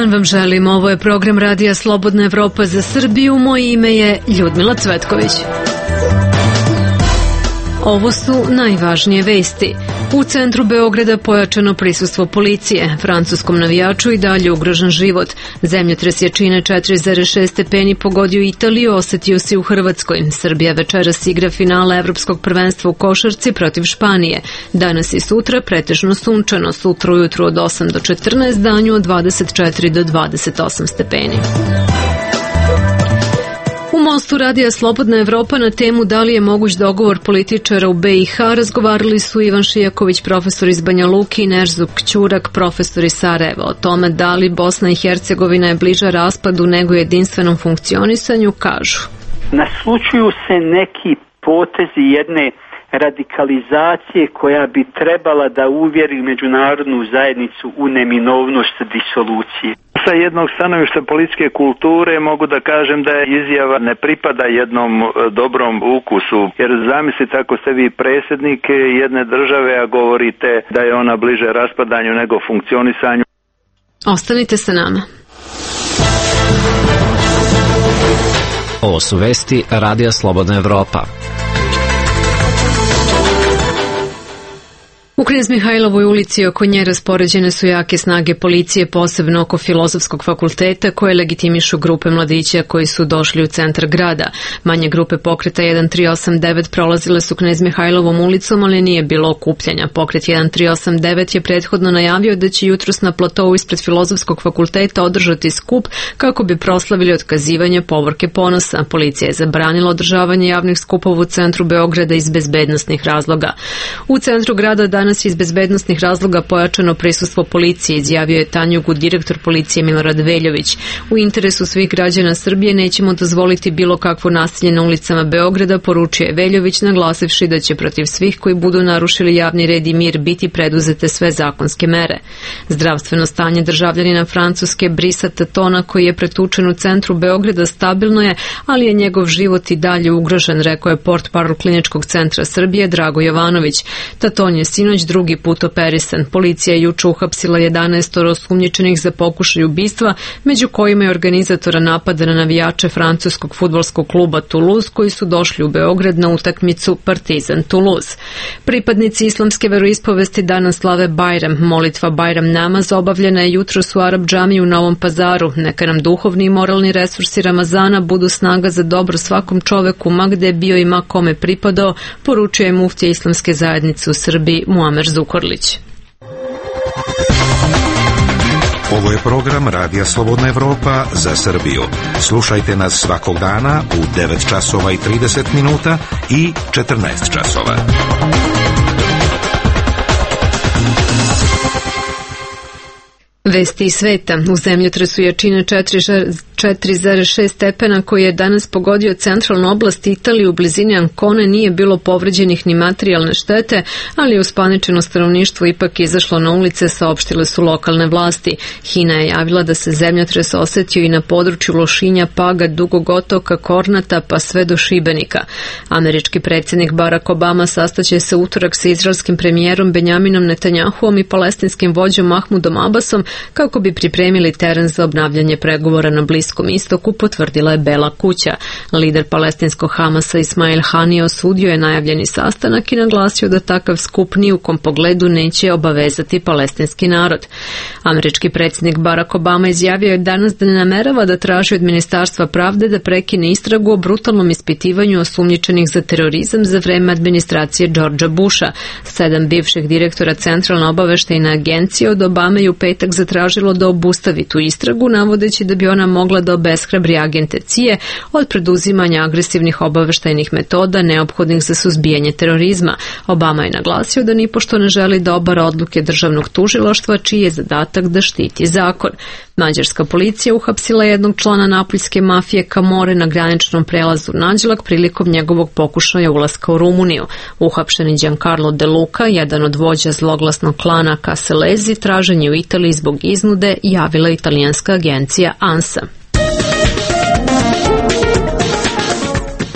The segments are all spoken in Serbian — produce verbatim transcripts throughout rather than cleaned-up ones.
dan vam želim. Ovo je program Radija Slobodna Evropa za Srbiju. Moje ime je Ljudmila Cvetković. Ovo su najvažnije vesti. U centru Beograda pojačano prisustvo policije. Francuskom navijaču i dalje ugrožen život. Zemljotres jačine četiri zarez šest stepeni pogodio Italiju, osetio se u Hrvatskoj. Srbija večeras igra finale Evropskog prvenstva u košarci protiv Španije. Danas i sutra pretežno sunčano, sutra ujutru od osam do četrnaest, danju od dvadeset četiri do dvadeset osam stepeni. U Mostu Radija Slobodna Evropa na temu da li je moguć dogovor političara u be i ha razgovarali su Ivan Šijaković, profesor iz Banja Luke, i Nežzuk Ćurak, profesor iz Sarajeva. O tome da li Bosna i Hercegovina je bliža raspadu nego jedinstvenom funkcionisanju kažu. Naslučuju se neki potezi jedne radikalizacije koja bi trebala da uvjeri međunarodnu zajednicu u neminovnost disolucije. Sa jednog stanovišta političke kulture mogu da kažem da je izjava ne pripada jednom dobrom ukusu, jer zamislite ako ste vi predsjednik jedne države, a govorite da je ona bliže raspadanju nego funkcionisanju. Ostanite sa nama. Ovo su vesti Radija Slobodna Evropa. U Knez Mihajlovoj ulici oko nje raspoređene su jake snage policije, posebno oko Filozofskog fakulteta, koje legitimišu grupe mladića koji su došli u centar grada. Manje grupe pokreta jedan tri osam devet prolazile su Knez Mihajlovom ulicom, ali nije bilo okupljanja. Pokret jedan tri osam devet je prethodno najavio da će jutros na platovu ispred Filozofskog fakulteta održati skup kako bi proslavili otkazivanje povorke ponosa. Policija je zabranila održavanje javnih skupova u centru Beograda iz bezbednosnih razloga. U centru grada danas Danas iz bezbednosnih razloga pojačano prisustvo policije, izjavio je Tanjugu direktor policije Milorad Veljović. U interesu svih građana Srbije nećemo dozvoliti bilo kakvo nasilje na ulicama Beograda, poručio je Veljović, naglasivši da će protiv svih koji budu narušili javni red i mir biti preduzete sve zakonske mere. Zdravstveno stanje državljanina Francuske Brisa Tatona, koji je pretučen u centru Beograda, stabilno je, ali je njegov život i dalje ugrožen, rekao je portparol Kliničkog centra Srbije Drago Jovanović. Taton je sinoć drugi put operisan. Policija je juče uhapsila jedanaest osumnjičenih za pokušaj ubistva, među kojima je organizatora napada na navijače francuskog fudbalskog kluba Toulouse koji su došli u Beograd na utakmicu Partizan Toulouse. Pripadnici islamske veroispovesti danas slave Bajram. Molitva Bajram namaz obavljena je jutros u Arab džamiji u Novom Pazaru. Neka nam duhovni i moralni resursi Ramazana budu snaga za dobro svakom čoveku, ma gde je bio i ma kome pripadao, poručuje muftija islamske zajednice u Srbiji Muamer Zukorlić. Ovo je program Radija Slobodna Evropa za Srbiju. Slušajte nas svakog dana u devet časova i trideset minuta i četrnaest časova. Vesti iz sveta. U zemljotresu jačine četiri zarez šest stepena koji je danas pogodio centralnu oblast Italije u blizini Ancone nije bilo povređenih ni materijalne štete, ali uspaničeno stanovništvo ipak izašlo na ulice, saopštile su lokalne vlasti. Hina je javila da se zemljotres osetio i na području Lošinja, Paga, Dugog otoka, Kornata pa sve do Šibenika. Američki predsjednik Barack Obama sastaće se utorak sa izraelskim premijerom Benjaminom Netanjahuom i palestinskim vođom Mahmudom Abbasom kako bi pripremili teren za obnavljanje pregovora na Bliskom istoku, potvrdila je Bela kuća. Lider palestinskog Hamasa Ismail Hanija osudio je najavljeni sastanak i naglasio da takav skup ni u kom pogledu neće obavezati palestinski narod. Američki predsjednik Barack Obama izjavio je danas da ne namerava da traži od Ministarstva pravde da prekine istragu o brutalnom ispitivanju osumnjičenih za terorizam za vreme administracije Georgea Busha. Sedam bivših direktora Centralne obaveštajne agencije od Obame i u petak zatražilo da obustavi tu istragu, navodeći da bi ona mogla da obeshrabri agente C I A od preduzimanja agresivnih obaveštajnih metoda neophodnih za suzbijanje terorizma. Obama je naglasio da nipošto ne želi da obara odluke državnog tužilaštva, čiji je zadatak da štiti zakon. Mađarska policija uhapsila jednog člana napuljske mafije Camorre na graničnom prelazu Nađlak prilikom njegovog pokušaja ulaska u Rumuniju. Uhapšeni Giancarlo De Luca, jedan od vođa zloglasnog klana Casalesi, tražen je u Italiji zbog iznude, javila italijanska agencija ANSA.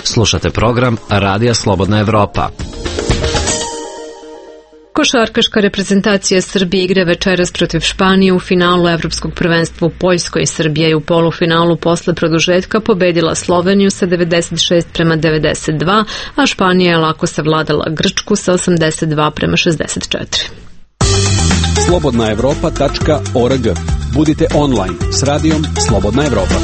Slušate program Radija Slobodna Evropa. Košarkaška reprezentacija Srbije igra večeras protiv Španije u finalu Evropskog prvenstva u Poljskoj. Srbija je u polufinalu posle produžetka pobedila Sloveniju sa devedeset šest prema devedeset dva, a Španija je lako savladala Grčku sa osamdeset dva prema šezdeset četiri. slobodna evropa tačka org. Budite online s radijom Slobodna Evropa.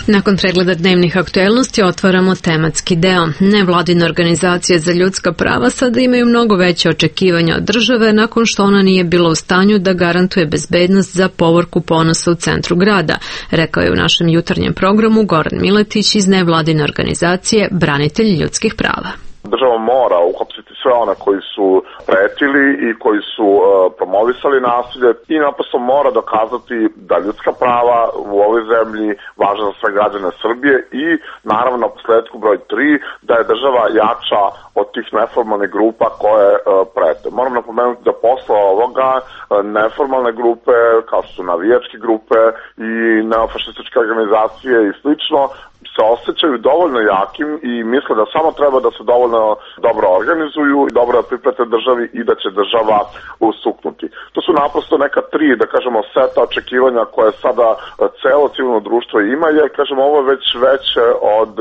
Nakon pregleda dnevnih aktuelnosti otvaramo tematski deo. Nevladine organizacije za ljudska prava sada imaju mnogo veće očekivanja od države nakon što ona nije bila u stanju da garantuje bezbednost za povorku Ponosa u centru grada, rekao je u našem jutarnjem programu Goran Miletić iz nevladine organizacije Branitelji ljudskih prava. Država mora uhapsiti sve one koji su pretili i koji su uh, promovisali nasilje i naprosto mora dokazati da ljudska prava u ovoj zemlji važe za sve građane Srbije i naravno na posledku broj tri da je država jača od tih neformalnih grupa koje uh, prete. Moram napomenuti da posle ovoga uh, neformalne grupe kao što su navijačke grupe i neofašističke organizacije i slično se osjećaju dovoljno jakim i misle da samo treba da se dovoljno dobro organizuju i dobro da priprete državi i da će država usuknuti. To su naprosto neka tri, da kažemo, seta očekivanja koje sada celo civilno društvo ima, jer, kažemo, ovo je već veće od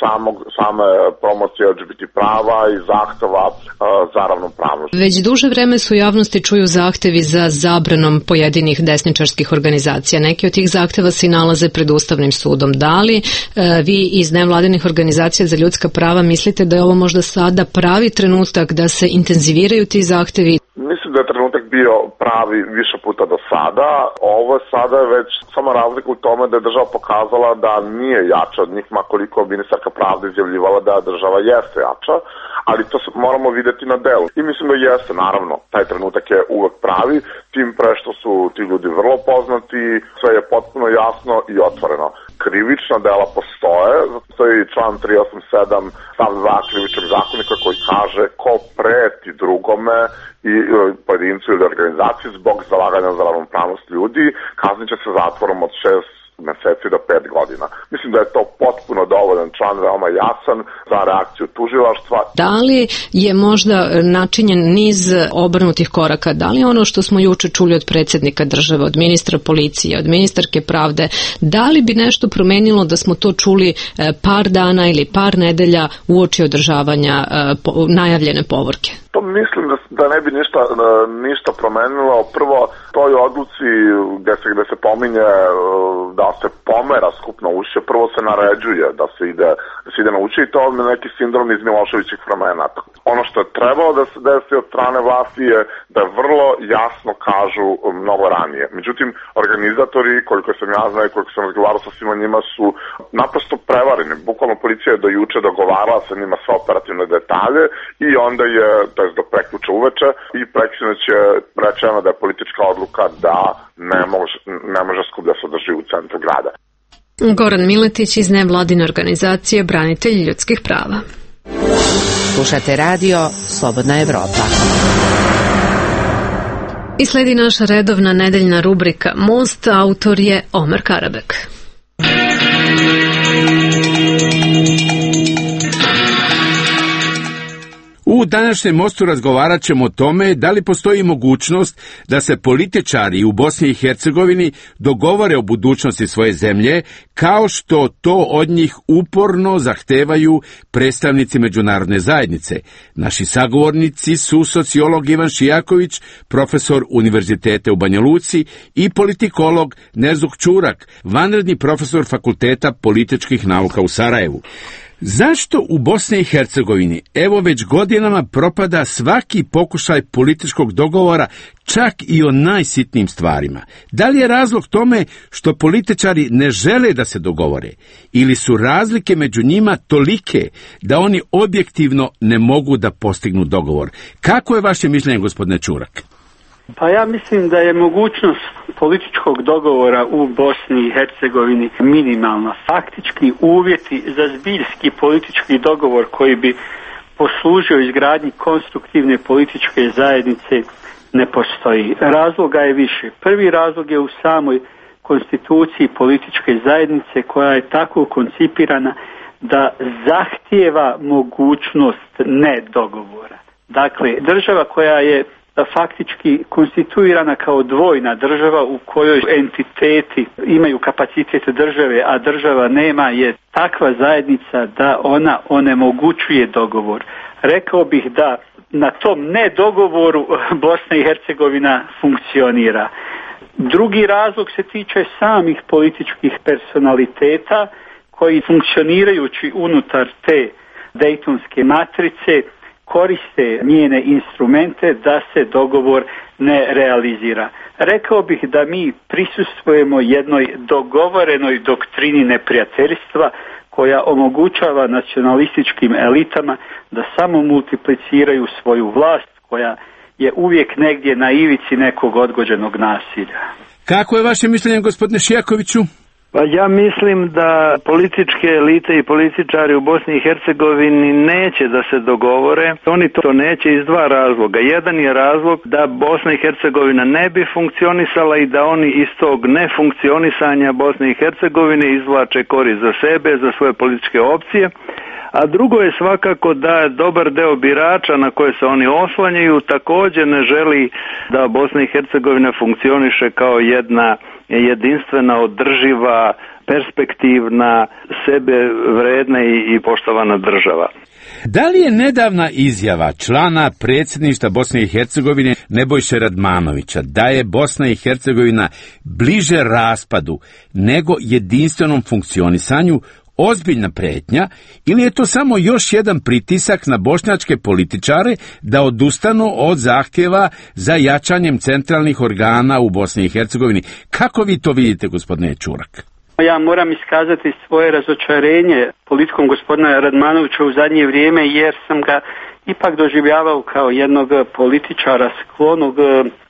samog, same promocije L G B T prava i zahteva za ravnopravnost. Već duže vreme su u javnosti čuju zahtevi za zabranom pojedinih desničarskih organizacija. Neki od tih zahteva se nalaze pred Ustavnim sudom. Da li e, vi iz nevladinih organizacija za ljudska prava mislite da je ovo možda sada pravi trenutak da se intenziviraju ti zahtevi? Mislim da je trenutak bio pravi više puta do sada. Ovo je sada već samo razlika u tome da je država pokazala da nije jača od njih, makoliko ministarka pravde izjavljivala da država jeste jača, ali to moramo videti na delu. I mislim da jeste, naravno, taj trenutak je uvek pravi, tim pre što su ti ljudi vrlo poznati, sve je potpuno jasno i otvoreno. Krivična dela postoje, zato je član tri osam sedam stav dva krivičnog zakonika koji kaže ko preti drugome i pojedincu ili organizaciji zbog zalaganja za ravnopravnost ljudi, kaznit će se zatvorom od šest meseci do pet godina. Mislim da je to potpuno dovoljan član, veoma jasan za reakciju tužilaštva. Da li je možda načinjen niz obrnutih koraka? Da li ono što smo juče čuli od predsjednika države, od ministra policije, od ministarke pravde, da li bi nešto promenilo da smo to čuli par dana ili par nedelja uoči održavanja najavljene povorke? To mislim da, da ne bi ništa, ništa promenilo. Prvo, toj odluci gde se, gde se pominje da se pomera skupno ušće, prvo se naređuje da se ide, da se ide na ušće i to je neki sindrom iz Miloševićih vremena. Ono što je trebalo da se desi od strane vlasti je da vrlo jasno kažu mnogo ranije. Međutim, organizatori, koliko sam ja znao i koliko sam razgovarao sa svima njima, su naprosto prevareni. Bukvalno policija je do juče dogovarala sa njima sve operativne detalje i onda je, to je do prekjuče uveče, i prekjuče je rečeno da je politička odluka da ne može, ne može skup da se održi u centru grada. Goran Miletić iz nevladine organizacije Branitelji ljudskih prava. Slušate radio Slobodna Evropa. I sledi naša redovna nedeljna rubrika Most, autor je Omer Karabek. U današnjem mostu razgovarat ćemo o tome da li postoji mogućnost da se političari u Bosni i Hercegovini dogovore o budućnosti svoje zemlje, kao što to od njih uporno zahtevaju predstavnici međunarodne zajednice. Naši sagovornici su sociolog Ivan Šijaković, profesor Univerziteta u Banja Luci, i politikolog Nezuk Čurak, vanredni profesor Fakulteta političkih nauka u Sarajevu. Zašto u Bosni i Hercegovini evo već godinama propada svaki pokušaj političkog dogovora, čak i o najsitnijim stvarima? Da li je razlog tome što političari ne žele da se dogovore, ili su razlike među njima tolike da oni objektivno ne mogu da postignu dogovor? Kako je vaše mišljenje, gospodine Čurak? Pa ja mislim da je mogućnost političkog dogovora u Bosni i Hercegovini minimalna. Faktički uvjeti za zbiljski politički dogovor koji bi poslužio izgradnji konstruktivne političke zajednice ne postoji. Razloga je više. Prvi razlog je u samoj konstituciji političke zajednice koja je tako koncipirana da zahtijeva mogućnost ne dogovora. Dakle, država koja je faktički konstituirana kao dvojna država u kojoj entiteti imaju kapacitet države, a država nema, je takva zajednica da ona onemogućuje dogovor. Rekao bih da na tom nedogovoru Bosna i Hercegovina funkcionira. Drugi razlog se tiče samih političkih personaliteta koji funkcionirajući unutar te dejtonske matrice koriste njene instrumente da se dogovor ne realizira. Rekao bih da mi prisustvujemo jednoj dogovorenoj doktrini neprijateljstva koja omogućava nacionalističkim elitama da samo multipliciraju svoju vlast koja je uvijek negdje na ivici nekog odgođenog nasilja. Kako je vaše mišljenje, gospodine Šijakoviću? Pa ja mislim da političke elite i političari u Bosni i Hercegovini neće da se dogovore. Oni to neće iz dva razloga. Jedan je razlog da Bosna i Hercegovina ne bi funkcionisala i da oni iz tog nefunkcionisanja Bosne i Hercegovine izvlače korist za sebe, za svoje političke opcije. A drugo je svakako da dobar deo birača na koje se oni oslanjaju također ne želi da Bosna i Hercegovina funkcioniše kao jedna jedinstvena, održiva, perspektivna, sebe vredna i poštovana država. Da li je nedavna izjava člana predsjedništva Bosne i Hercegovine Nebojše Radmanovića da je Bosna i Hercegovina bliže raspadu nego jedinstvenom funkcionisanju ozbiljna prijetnja, ili je to samo još jedan pritisak na bošnjačke političare da odustanu od zahtjeva za jačanjem centralnih organa u Bosni i Hercegovini? Kako vi to vidite, gospodine Čurak? Ja moram iskazati svoje razočarenje politikom gospodina Radmanovića u zadnje vrijeme, jer sam ga ipak doživljavao kao jednog političara sklonog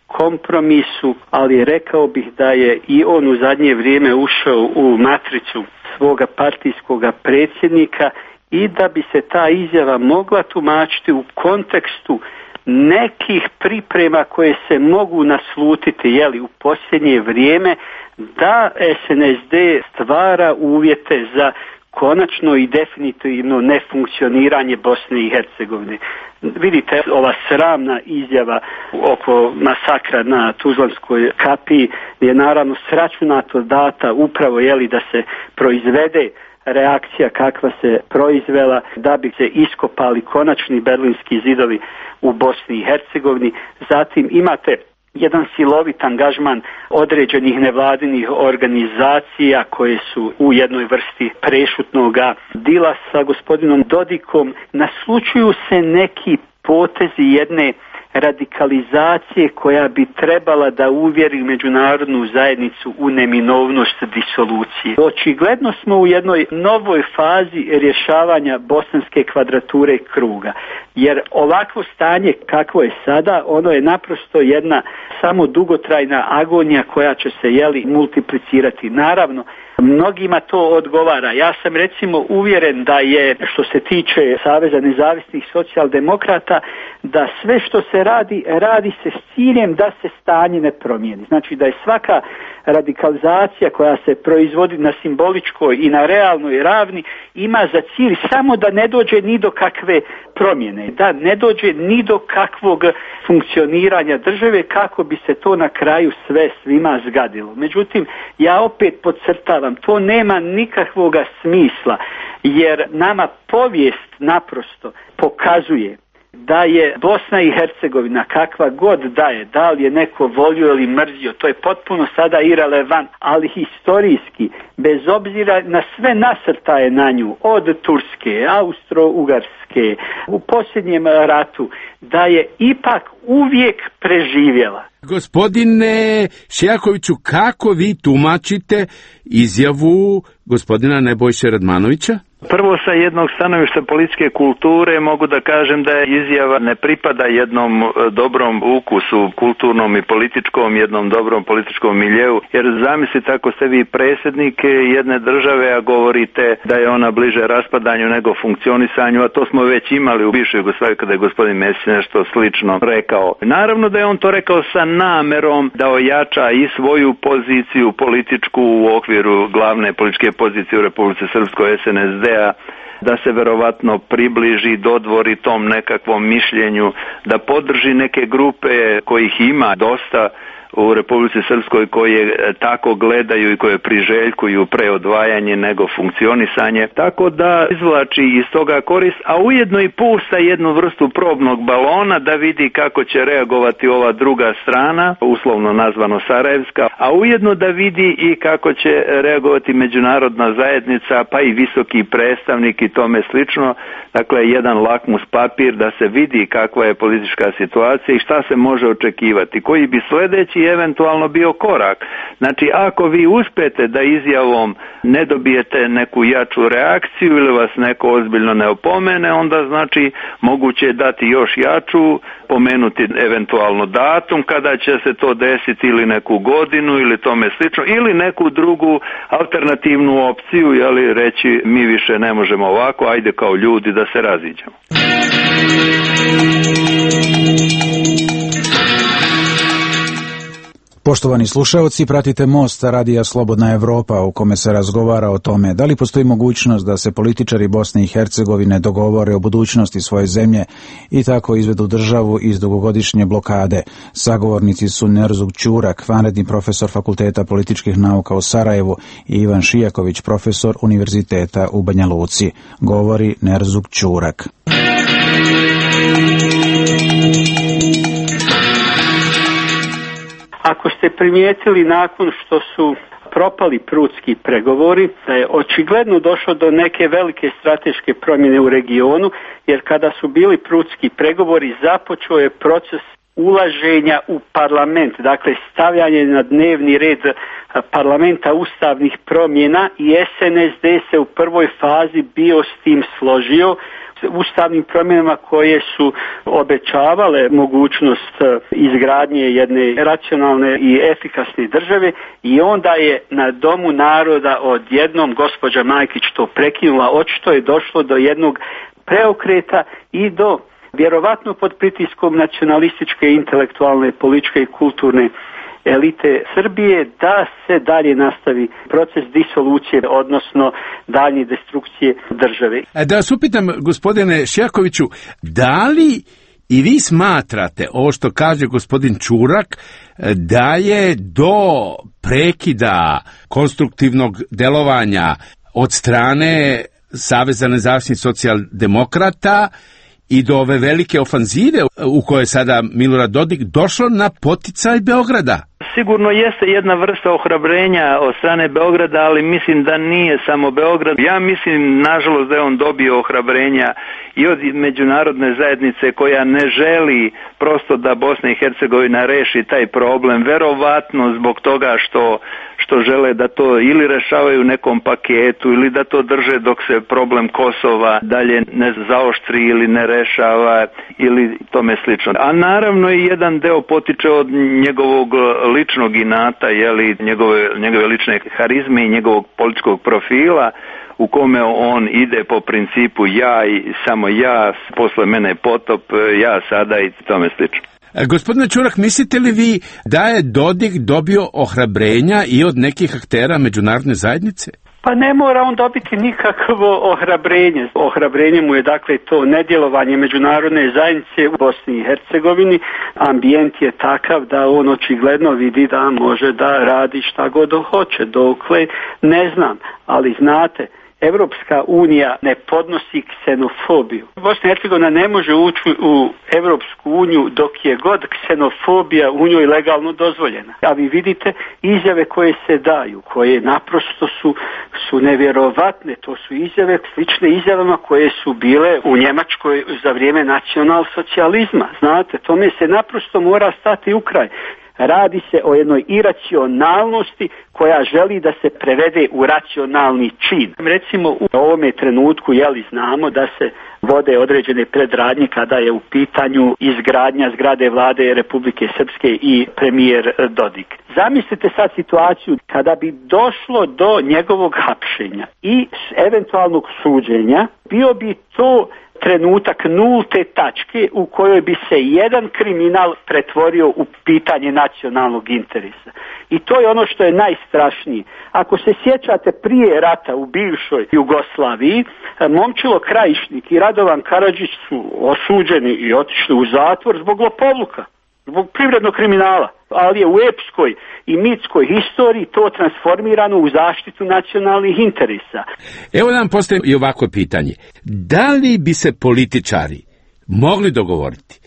kompromisu, ali rekao bih da je i on u zadnje vrijeme ušao u matricu svoga partijskog predsjednika i da bi se ta izjava mogla tumačiti u kontekstu nekih priprema koje se mogu naslutiti, jeli, u posljednje vrijeme, da S N S D stvara uvjete za konačno i definitivno nefunkcioniranje Bosne i Hercegovine. Vidite, ova sramna izjava oko masakra na Tuzlanskoj kapiji je naravno sračunato data upravo, jeli, da se proizvede reakcija kakva se proizvela, da bi se iskopali konačni berlinski zidovi u Bosni i Hercegovini. Zatim imate jedan silovit angažman određenih nevladinih organizacija koje su u jednoj vrsti prešutnog dila sa gospodinom Dodikom. Naslučuju se neki potezi jedne radikalizacije koja bi trebala da uvjeri međunarodnu zajednicu u neminovnost disolucije. Očigledno smo u jednoj novoj fazi rješavanja bosanske kvadrature kruga, jer ovakvo stanje kakvo je sada, ono je naprosto jedna samo dugotrajna agonija koja će se, jeli, multiplicirati. Naravno, mnogima to odgovara. Ja sam recimo uvjeren da je, što se tiče Saveza nezavisnih socijaldemokrata, da sve što se radi, radi se s ciljem da se stanje ne promijeni. Znači da je svaka radikalizacija koja se proizvodi na simboličkoj i na realnoj ravni ima za cilj samo da ne dođe ni do kakve promjene, da ne dođe ni do kakvog funkcioniranja države kako bi se to na kraju sve svima zgadilo. Međutim, ja opet podcrtavam, to nema nikakvog smisla, jer nama povijest naprosto pokazuje da je Bosna i Hercegovina, kakva god da je, da li je neko volio ili mrzio, to je potpuno sada irelevant, ali historijski, bez obzira na sve nasrtaje na nju, od Turske, Austro-Ugarske, u posljednjem ratu, da je ipak uvijek preživjela. Gospodine Šijakoviću, kako vi tumačite izjavu gospodina Nebojše Radmanovića? Prvo, sa jednog stanovišta političke kulture mogu da kažem da je izjava ne pripada jednom dobrom ukusu kulturnom i političkom, jednom dobrom političkom miljeu, jer zamislite ako ste vi predsjednik jedne države, a govorite da je ona bliže raspadanju nego funkcionisanju, a to smo već imali u bivšoj Jugoslaviji kada je gospodin Mesić nešto slično rekao. Naravno da je on to rekao sa namerom da ojača i svoju poziciju političku u okviru glavne političke pozicije u Republici Srpskoj S N S D-a, da se verovatno približi, dodvori tom nekakvom mišljenju, da podrži neke grupe kojih ima dosta u Republici Srpskoj koje tako gledaju i koje priželjkuju pre odvajanje nego funkcionisanje, tako da izvlači iz toga korist, a ujedno i pušta jednu vrstu probnog balona da vidi kako će reagovati ova druga strana, uslovno nazvano Sarajevska, a ujedno da vidi i kako će reagovati međunarodna zajednica, pa i visoki predstavnik i tome slično. Dakle, jedan lakmus papir da se vidi kakva je politička situacija i šta se može očekivati, koji bi sledeći eventualno bio korak. Znači, ako vi uspete da izjavom ne dobijete neku jaču reakciju ili vas neko ozbiljno ne opomene, onda znači moguće je dati još jaču, pomenuti eventualno datum kada će se to desiti ili neku godinu ili tome slično, ili neku drugu alternativnu opciju, jeli reći mi više ne možemo ovako, ajde kao ljudi da se raziđemo. Poštovani slušaoci, pratite Most Radija Slobodna Evropa u kome se razgovara o tome da li postoji mogućnost da se političari Bosne i Hercegovine dogovore o budućnosti svoje zemlje i tako izvedu državu iz dugogodišnje blokade. Sagovornici su Nerzug Ćurak, vanredni profesor Fakulteta političkih nauka u Sarajevu, i Ivan Šijaković, profesor Univerziteta u Banja Luci. Govori Nerzug Ćurak. Ako ste primijetili nakon što su propali prutski pregovori, da je očigledno došlo do neke velike strateške promjene u regionu, jer kada su bili prutski pregovori započeo je proces ulaženja u parlament, dakle stavljanje na dnevni red parlamenta ustavnih promjena, i S N S D se u prvoj fazi bio s tim složio, ustavnim promjenama koje su obećavale mogućnost izgradnje jedne racionalne i efikasne države, i onda je na Domu naroda odjednom gospođa Majkić to prekinula. Očito je došlo do jednog preokreta i do, vjerovatno pod pritiskom nacionalističke, intelektualne, političke i kulturne elite Srbije, da se dalje nastavi proces disolucije, odnosno dalje destrukcije države. Da vas upitam, gospodine Šijakoviću, da li i vi smatrate ovo što kaže gospodin Ćurak, da je do prekida konstruktivnog delovanja od strane Saveza nezavisnih socijaldemokrata i do ove velike ofanzive u kojoj sada Milorad Dodik došlo na poticaj Beograda? Sigurno jeste jedna vrsta ohrabrenja od strane Beograda, ali mislim da nije samo Beograd. Ja mislim, nažalost, da je on dobio ohrabrenja i od međunarodne zajednice koja ne želi prosto da Bosna i Hercegovina reši taj problem, verovatno zbog toga što što žele da to ili rešavaju u nekom paketu ili da to drže dok se problem Kosova dalje ne zaoštri ili ne rešava ili tome slično. A naravno i jedan deo potiče od njegovog ličnog inata, jeli, njegove, njegove lične harizme i njegovog političkog profila, u kome on ide po principu ja i samo ja, posle mene potop, ja sada i tome slično. Gospodine Ćurak, mislite li vi da je Dodik dobio ohrabrenja i od nekih aktera međunarodne zajednice? Pa ne mora on dobiti nikakvo ohrabrenje. Ohrabrenje mu je dakle to nedjelovanje međunarodne zajednice u Bosni i Hercegovini. Ambijent je takav da on očigledno vidi da može da radi šta god hoće. Dokle ne znam, ali znate, Evropska unija ne podnosi ksenofobiju. Bosna i Hercegovina ne može ući u Evropsku uniju dok je god ksenofobija u njoj legalno dozvoljena. A vi vidite izjave koje se daju, koje naprosto su, su nevjerovatne. To su izjave slične izjavama koje su bile u Njemačkoj za vrijeme nacionalsocijalizma. Znate, tome se naprosto mora stati u kraj. Radi se o jednoj iracionalnosti koja želi da se prevede u racionalni čin. Recimo u ovome trenutku, jeli, znamo da se vode određene predradnje kada je u pitanju izgradnja zgrade vlade Republike Srpske i premijer Dodik. Zamislite sad situaciju kada bi došlo do njegovog hapšenja i eventualnog suđenja, bio bi to trenutak nulte tačke u kojoj bi se jedan kriminal pretvorio u pitanje nacionalnog interesa. I to je ono što je najstrašnije. Ako se sjećate prije rata u bivšoj Jugoslaviji, Momčilo Krajišnik i Radovan Karadžić su osuđeni i otišli u zatvor zbog lopovluka, zbog privrednog kriminala, ali je u epskoj i mitskoj historiji to transformirano u zaštitu nacionalnih interesa. Evo nam postoji i ovako pitanje. Da li bi se političari mogli dogovoriti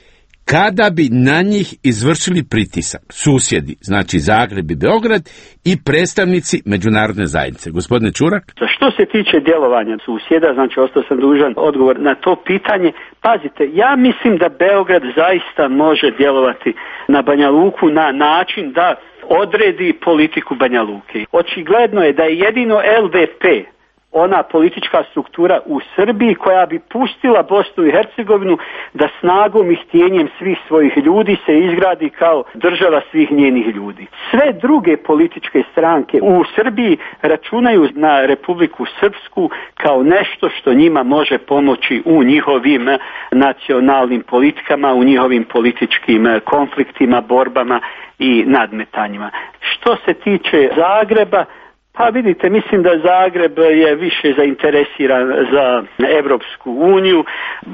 kada bi na njih izvršili pritisak susjedi, znači Zagreb i Beograd, i predstavnici međunarodne zajednice? Gospodine Čurak? Što se tiče djelovanja susjeda, znači ostao sam dužan odgovor na to pitanje. Pazite, ja mislim da Beograd zaista može djelovati na Banja Luku na način da odredi politiku Banja Luke. Očigledno je da je jedino L D P ona politička struktura u Srbiji koja bi pustila Bosnu i Hercegovinu da snagom i htjenjem svih svojih ljudi se izgradi kao država svih njenih ljudi. Sve druge političke stranke u Srbiji računaju na Republiku Srpsku kao nešto što njima može pomoći u njihovim nacionalnim politikama, u njihovim političkim konfliktima, borbama i nadmetanjima. Što se tiče Zagreba, pa vidite, mislim da Zagreb je više zainteresiran za Evropsku uniju.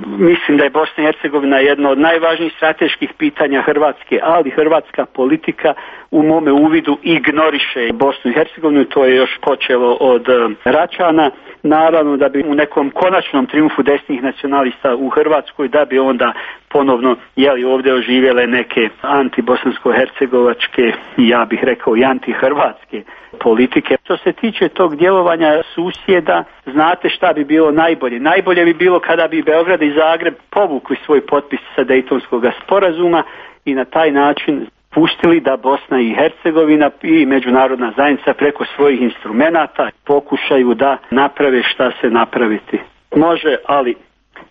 Mislim da je Bosna i Hercegovina jedno od najvažnijih strateških pitanja Hrvatske, ali hrvatska politika u mome uvidu ignoriše Bosnu i Hercegovinu. To je još počelo od Račana. Naravno da bi u nekom konačnom triumfu desnih nacionalista u Hrvatskoj, da bi onda ponovno jeli ovdje oživjele neke antibosansko-hercegovačke, ja bih rekao i antihrvatske politike. Što se tiče tog djelovanja susjeda, znate šta bi bilo najbolje? Najbolje bi bilo kada bi Beograd i Zagreb povukli svoj potpis sa Dejtonskog sporazuma i na taj način pustili da Bosna i Hercegovina i međunarodna zajednica preko svojih instrumenata pokušaju da naprave šta se napraviti može, ali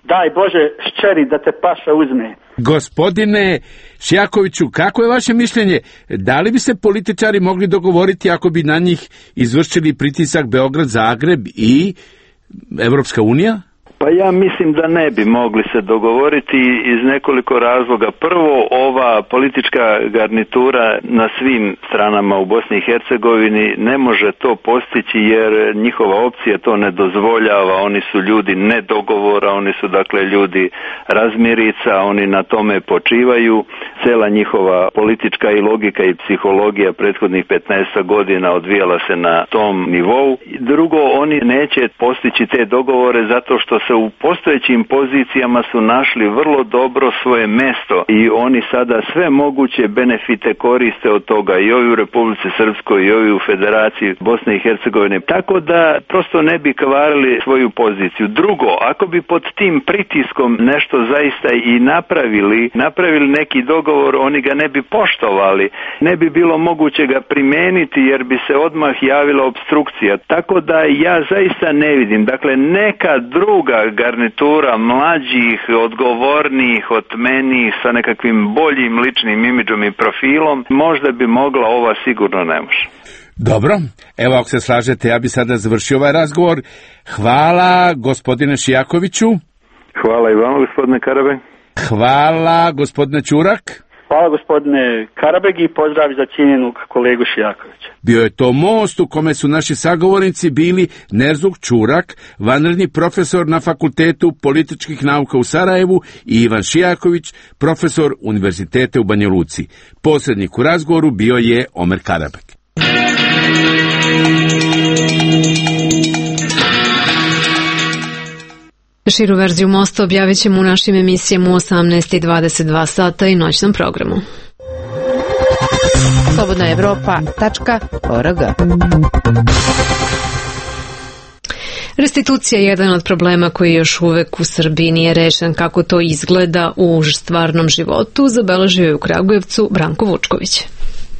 daj Bože ščeri da te paša uzme. Gospodine Šijakoviću, kako je vaše mišljenje? Da li bi se političari mogli dogovoriti ako bi na njih izvršili pritisak Beograd, Zagreb i Evropska unija? Pa ja mislim da ne bi mogli se dogovoriti iz nekoliko razloga. Prvo, ova politička garnitura na svim stranama u Bosni i Hercegovini ne može to postići jer njihova opcija to ne dozvoljava. Oni su ljudi nedogovora, oni su dakle ljudi razmirica, oni na tome počivaju. Cela njihova politička i logika i psihologija prethodnih petnaest godina odvijala se na tom nivou. Drugo, oni neće postići te dogovore zato što se u postojećim pozicijama su našli vrlo dobro svoje mesto i oni sada sve moguće benefite koriste od toga i ovi u Republici Srpskoj i ovi u Federaciji Bosne i Hercegovine. Tako da prosto ne bi kvarili svoju poziciju. Drugo, ako bi pod tim pritiskom nešto zaista i napravili, napravili neki dogovor, oni ga ne bi poštovali. Ne bi bilo moguće ga primeniti jer bi se odmah javila obstrukcija. Tako da ja zaista ne vidim. Dakle, neka druga garnitura mlađih, odgovornijih, otmenijih, sa nekakvim boljim ličnim imidžom i profilom, možda bi mogla, ova sigurno ne može. Dobro, evo ako se slažete, ja bi sada završio ovaj razgovor. Hvala gospodine Šijakoviću. Hvala i vama gospodine Karabeg. Hvala gospodine Čurak. Hvala gospodine Karabeg i pozdrav za cijenjenog kolegu Šijakovića. Bio je to most u kome su naši sagovornici bili Nerzuk Čurak, vanredni profesor na Fakultetu političkih nauka u Sarajevu, i Ivan Šijaković, profesor Univerziteta u Banja Luci. Posrednik u razgovoru bio je Omer Karabeg. Širu verziju mosta objavit ćemo u našim emisijama u osamnaest i dvadeset dva sata i noćnom programu. slobodna evropa tačka org. Restitucija je jedan od problema koji još uvek u Srbiji nije rešen. Kako to izgleda u stvarnom životu, zabeležio je u Kragujevcu Branko Vučković.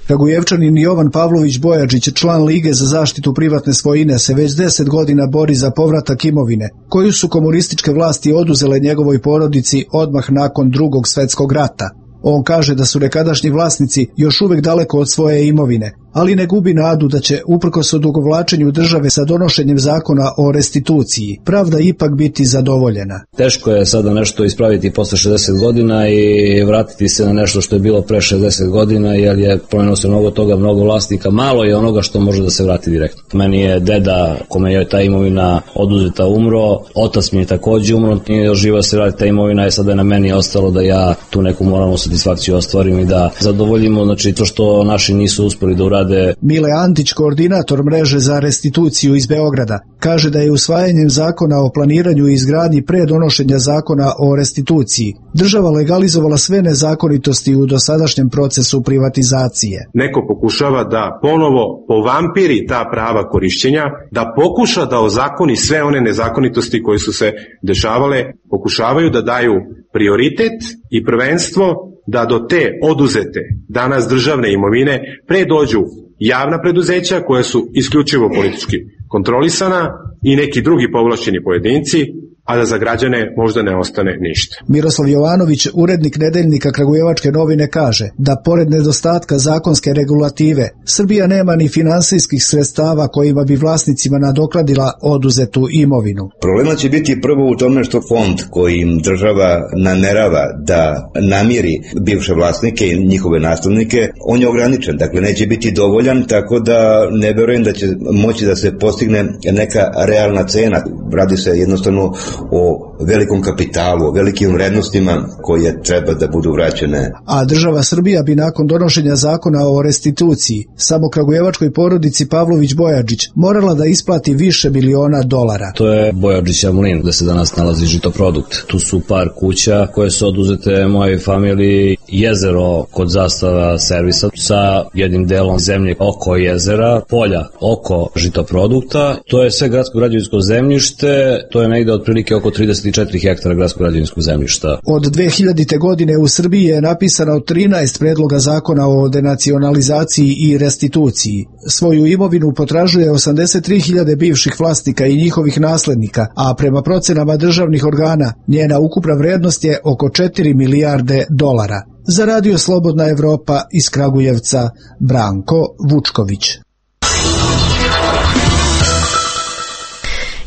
Kragujevčanin Jovan Pavlović Bojačić, član Lige za zaštitu privatne svojine, se već deset godina bori za povratak imovine, koju su komunističke vlasti oduzele njegovoj porodici odmah nakon Drugog svetskog rata. On kaže da su nekadašnji vlasnici još uvek daleko od svoje imovine, ali ne gubi nadu da će, uprkos odugovlačenju države sa donošenjem zakona o restituciji, pravda ipak biti zadovoljena. Teško je sada nešto ispraviti posle šezdeset godina i vratiti se na nešto što je bilo pre šezdeset godina, jer je promenilo se mnogo toga, mnogo vlasnika, malo je onoga što može da se vrati direktno. Meni je deda, kome je ta imovina oduzeta, umro, otac mi je takođe umro, nije živa se vrati ta imovina i sada je na meni ostalo da ja tu neku moralnu satisfakciju ostvarim i da zadovoljimo, znači, to što naši nisu uspeli da urade. Mile Antić, koordinator mreže za restituciju iz Beograda, kaže da je usvajanjem zakona o planiranju i izgradnji pre donošenja zakona o restituciji država legalizovala sve nezakonitosti u dosadašnjem procesu privatizacije. Neko pokušava da ponovo povampiri ta prava korišćenja, da pokuša da ozakoni sve one nezakonitosti koje su se dešavale, pokušavaju da daju prioritet i prvenstvo da do te oduzete danas državne imovine pre dođu javna preduzeća koja su isključivo politički kontrolisana i neki drugi povlašćeni pojedinci, a da za građane možda ne ostane ništa. Miroslav Jovanović, urednik nedeljnika Kragujevačke novine, kaže da pored nedostatka zakonske regulative, Srbija nema ni finansijskih sredstava kojima bi vlasnicima nadoknadila oduzetu imovinu. Problema će biti prvo u tome što fond kojim država namerava da namiri bivše vlasnike i njihove naslednike, on je ograničen, dakle neće biti dovoljan, tako da ne verujem da će moći da se postigne neka realna cena. Radi se jednostavno o velikom kapitalu, o velikim vrednostima koje treba da budu vraćene. A država Srbija bi nakon donošenja zakona o restituciji samo kragujevačkoj porodici Pavlović Bojačić morala da isplati više miliona dolara. To je Bojačića mlin gde se danas nalazi Žitoprodukt. Tu su par kuća koje su oduzete mojoj familiji, jezero kod Zastava servisa sa jednim delom zemlje oko jezera, polja oko Žitoprodukta. To je sve gradsko građevinsko zemljište, to je negde otprilike oko trideset četiri hektara gradskog građevinskog zemljišta. Od dve hiljadite. godine u Srbiji je napisano trinaest predloga zakona o denacionalizaciji i restituciji. Svoju imovinu potražuje osamdeset tri hiljade bivših vlasnika i njihovih naslednika, a prema procenama državnih organa njena ukupna vrednost je oko četiri milijarde dolara. Za Radio Slobodna Evropa iz Kragujevca, Branko Vučković.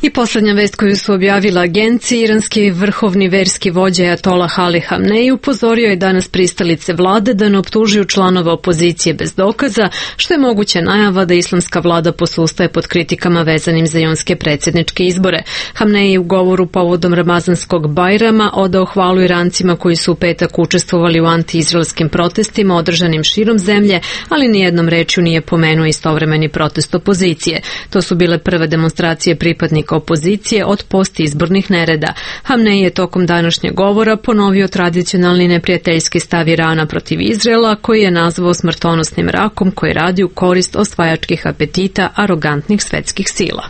I poslednja vest koju su objavila agencije, iranski vrhovni verski vođa Ajatolah Ali Hamnej upozorio je danas pristalice vlade da ne optužuju članova opozicije bez dokaza, što je moguća najava da islamska vlada posustaje pod kritikama vezanim za jonske predsjedničke izbore. Hamnej je u govoru povodom Ramazanskog Bajrama odao hvalu Irancima koji su u petak učestvovali u antiizraelskim protestima održanim širom zemlje, ali nijednom rečju nije pomenuo istovremeni protest opozicije. To su bile prve demonstracije pripadnika opozicije od postizbornih nereda. Hamnej je tokom današnjeg govora ponovio tradicionalni neprijateljski stav Irana protiv Izraela, koji je nazvao smrtonosnim rakom koji radi u korist osvajačkih apetita arogantnih svetskih sila.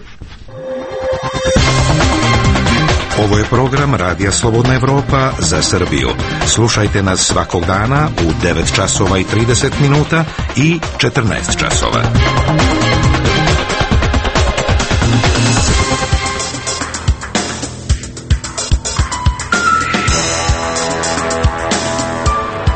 Ovo je program Radija Slobodna Evropa za Srbiju. Slušajte nas svakog dana u devet časova i trideset minuta i četrnaest časova.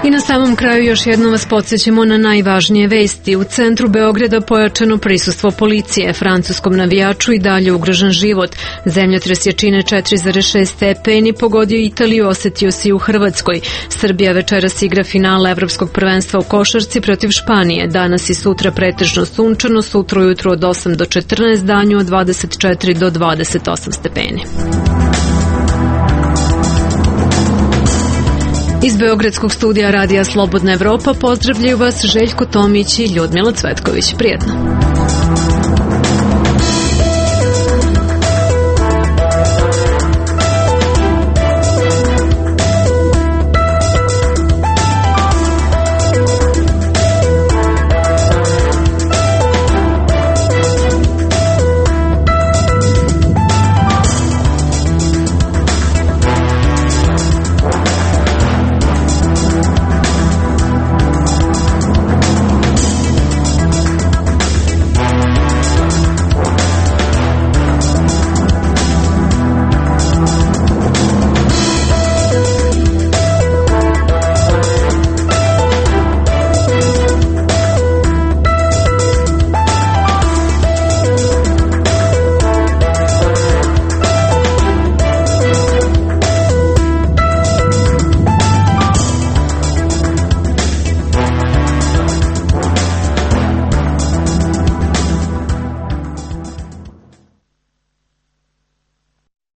I na samom kraju još jednom vas podsjećamo na najvažnije vesti. U centru Beograda pojačano prisustvo policije, francuskom navijaču i dalje ugrožen život. Zemljotres jačine četiri zarez šest stepeni pogodio Italiju, osetio se i u Hrvatskoj. Srbija večeras igra finale Evropskog prvenstva u košarci protiv Španije. Danas i sutra pretežno sunčano, sutra ujutru od osam do četrnaest, danju od dvadeset četiri do dvadeset osam stepeni. Iz Beogradskog studija Radija Slobodna Evropa pozdravljaju vas Željko Tomić i Ljudmila Cvetković. Prijetno.